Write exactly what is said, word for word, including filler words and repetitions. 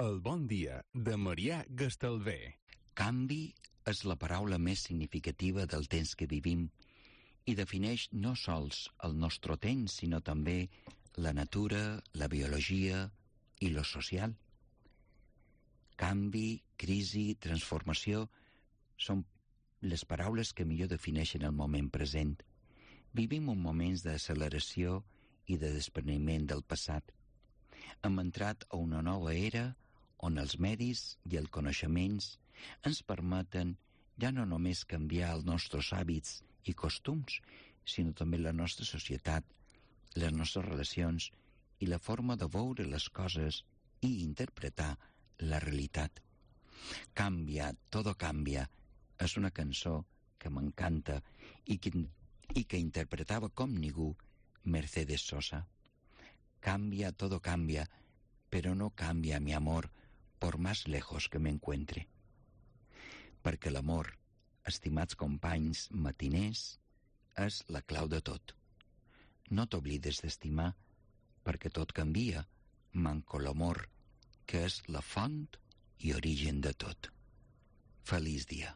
El bon dia de Marià Gastalver. Canvi és la paraula més significativa del temps que vivim i defineix no sols el nostre temps, sinó també la natura, la biologia i lo social. Canvi, crisi, transformació són les paraules que millor defineixen el moment present. Vivim un moments d'acceleració i de despreniment del passat. Hem entrat a una nova era on els medis i els coneixements ens permeten ja no només canviar els nostres hàbits i costums, sinó també la nostra societat, les nostres relacions i la forma de veure les coses i interpretar la realitat. Canvia, todo cambia, és una cançó que m'encanta i que, i que interpretava com ningú Mercedes Sosa. Cambia, todo cambia, pero no cambia mi amor por más lejos que me encuentre. Perquè l'amor, estimats companys matiners, és la clau de tot. No t'oblides d'estimar, perquè tot canvia, manco l'amor, que és la font i origen de tot. Feliç dia.